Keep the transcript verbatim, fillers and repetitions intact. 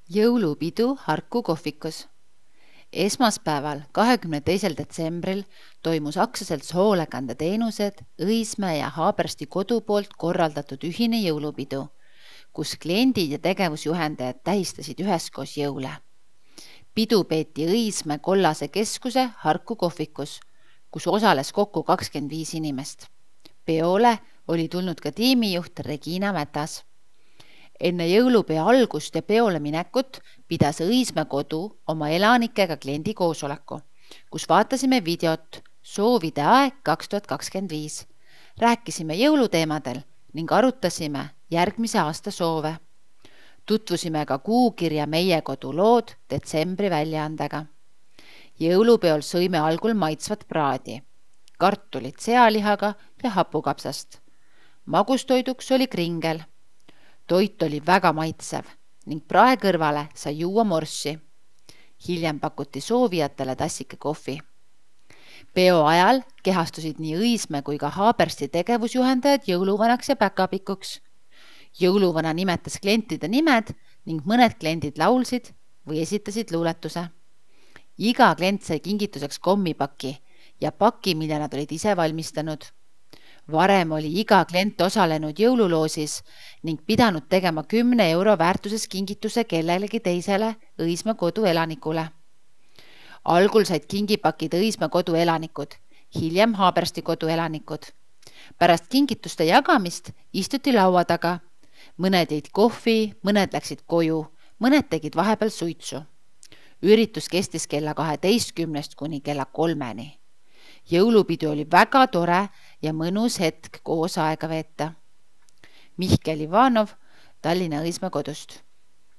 Jõulupidu Harku kohvikus. Esmaspäeval, kahekümne teisel detsembril toimus aktsiaselts Hoolekandeteenused Õismäe ja Haabersti kodu poolt korraldatud ühine jõulupidu, kus kliendid ja tegevusjuhendajad tähistasid üheskoos jõule. Pidu peeti Õismäe kollase keskuse Harku kohvikus, kus osales kokku kakskümmend viis inimest. Peole oli tulnud ka tiimijuht Regina Mätas. Enne jõulupea algust ja peole minekut pidas Õismäe kodu oma elanikega kliendi koosoleku, kus vaatasime videot Soovide aeg kaks tuhat kakskümmend viis. Rääkisime jõuluteemadel ning arutasime järgmise aasta soove. Tutvusime ka kuukirja Meie kodu lood detsembri väljaandega. Jõulupeol sõime algul maitsvat praadi, kartulit sealihaga ja hapukapsast. Magustoiduks oli kringel. Toit oli väga maitsev ning prae kõrvale sai juua morssi. Hiljem pakuti soovijatele tassike kohvi. Peo ajal kehastusid nii Õismäe kui ka Haabersti tegevusjuhendajad jõuluvanaks ja päkapikuks. Jõuluvana nimetas klientide nimed ning mõned kliendid laulsid või esitasid luuletuse. Iga klient sai kingituseks kommipaki ja paki, mille nad olid ise valmistanud. Varem oli iga klient osalenud jõululoosis ning pidanud tegema kümne euro väärtuses kingituse kellelegi teisele Õismäe kodu elanikule. Algul said kingipakid Õismäe kodu elanikud, hiljem Haabersti kodu elanikud. Pärast kingituste jagamist istuti laua taga. Mõned jõid kohvi, mõned läksid koju, mõned tegid vahepeal suitsu. Üritus kestis kella kaheteistkümnest kuni kella kolmeni. Jõulupidu oli väga tore ja mõnus hetk koos aega veeta. Mihkel Ivanov, Tallinna Õismäe kodust.